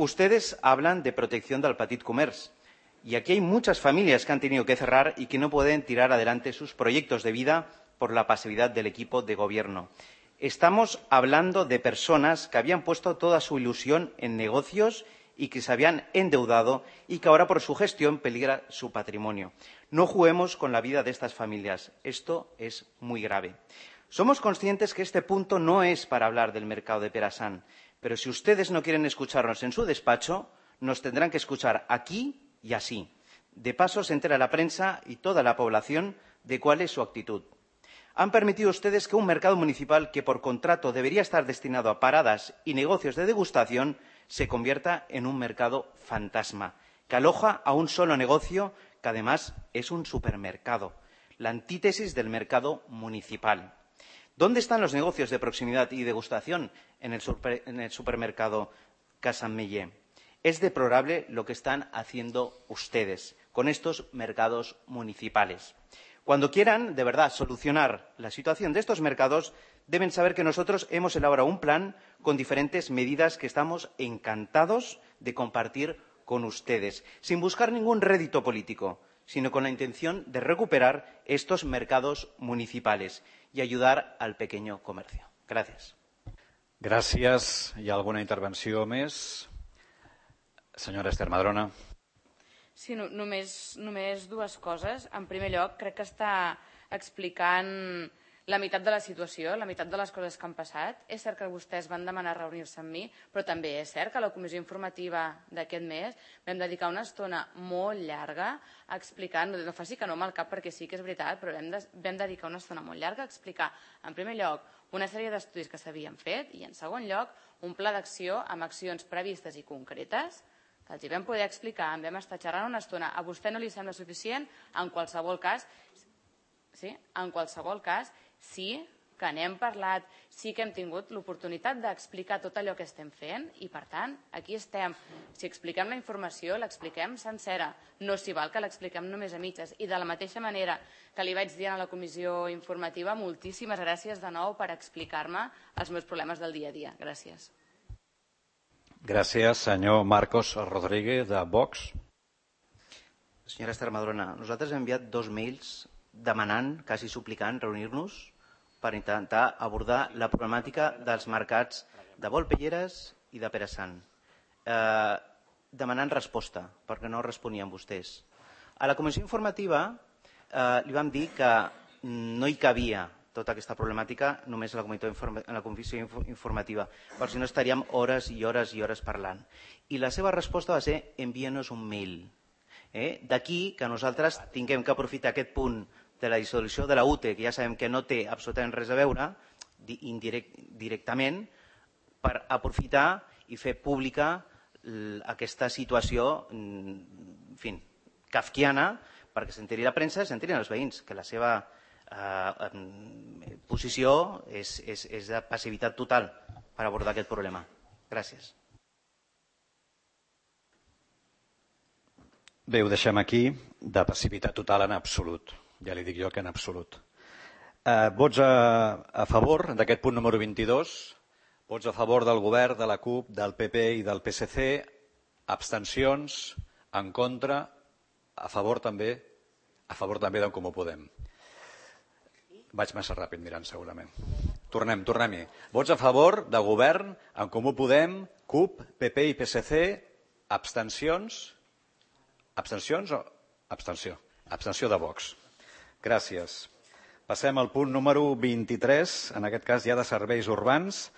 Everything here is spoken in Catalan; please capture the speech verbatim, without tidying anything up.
Ustedes hablan de protección del petit comerç y aquí hay muchas familias que han tenido que cerrar y que no pueden tirar adelante sus proyectos de vida por la pasividad del equipo de gobierno. Estamos hablando de personas que habían puesto toda su ilusión en negocios y que se habían endeudado y que ahora por su gestión peligra su patrimonio. No juguemos con la vida de estas familias. Esto es muy grave. Somos conscientes que este punto no es para hablar del mercado de Perasan, pero si ustedes no quieren escucharnos en su despacho, nos tendrán que escuchar aquí y así. De paso, se entera la prensa y toda la población de cuál es su actitud. Han permitido ustedes que un mercado municipal que por contrato debería estar destinado a paradas y negocios de degustación se convierta en un mercado fantasma, que aloja a un solo negocio que además es un supermercado, la antítesis del mercado municipal. ¿Dónde están los negocios de proximidad y degustación en el, super, en el supermercado Casa Mellé? Es deplorable lo que están haciendo ustedes con estos mercados municipales. Cuando quieran, de verdad, solucionar la situación de estos mercados, deben saber que nosotros hemos elaborado un plan con diferentes medidas que estamos encantados de compartir con ustedes, sin buscar ningún rédito político, sino con la intención de recuperar estos mercados municipales y ayudar al pequeño comercio. Gràcies. Gràcies. Hi ha alguna intervenció més? Senyora Esther Madrona. Sí, no, només, només dues coses. En primer lloc, crec que està explicant la meitat de la situació, la meitat de les coses que han passat. És cert que vostès van demanar reunir-se amb mi, però també és cert que a la comissió informativa d'aquest mes vam dedicar una estona molt llarga a explicar, no, no faci que no amb el cap perquè sí que és veritat, però vam, de, vam dedicar una estona molt llarga a explicar, en primer lloc, una sèrie d'estudis que s'havien fet i, en segon lloc, un pla d'acció amb accions previstes i concretes que els hi vam poder explicar, en vam estar xerrant una estona. A vostè no li sembla suficient? En qualsevol cas, sí, en qualsevol cas, sí que n'hem parlat, sí que hem tingut l'oportunitat d'explicar tot allò que estem fent i, per tant, aquí estem. Si expliquem la informació, l'expliquem sencera. No s'hi val que l'expliquem només a mitges. I de la mateixa manera que li vaig dir a la comissió informativa, moltíssimes gràcies de nou per explicar-me els meus problemes del dia a dia. Gràcies. Gràcies, senyor Marcos Rodríguez, de Vox. Senyora Esther Madrona, nosaltres hem enviat dos mails demanant, quasi suplicant, reunir-nos per intentar abordar la problemàtica dels mercats de Volpelleres i de Perasan. Eh, demanant resposta, perquè no responien vostès. A la comissió informativa eh, li vam dir que no hi cabia tota aquesta problemàtica només a la, a la comissió informativa, perquè si no estaríem hores i hores i hores parlant. I la seva resposta va ser envia-nos un mail. Eh? D'aquí que nosaltres tinguem que aprofitar aquest punt de la dissolució de la U T E, que ja sabem que no té absolutament res a veure, indirect, directament, per aprofitar i fer pública aquesta situació, en fi, kafkiana, perquè s'enteri la premsa i s'enterin els veïns, que la seva eh, posició és, és, és de passivitat total per abordar aquest problema. Gràcies. Bé, ho deixem aquí, de passivitat total en absolut. Ja li dic jo que en absolut. Eh, vots a, a favor d'aquest punt número vint-i-dos, vots a favor del govern, de la CUP, del P P i del P S C, abstencions, en contra, a favor també, a favor també d'en Comú Podem. Vaig massa ràpid mirant segurament. Tornem, tornem-hi. Vots a favor de govern, en Comú Podem, CUP, P P i P S C, abstencions, abstencions o abstenció? Abstenció de Vox. Gràcies. Passem al punt número vint-i-tres, en aquest cas ja de serveis urbans.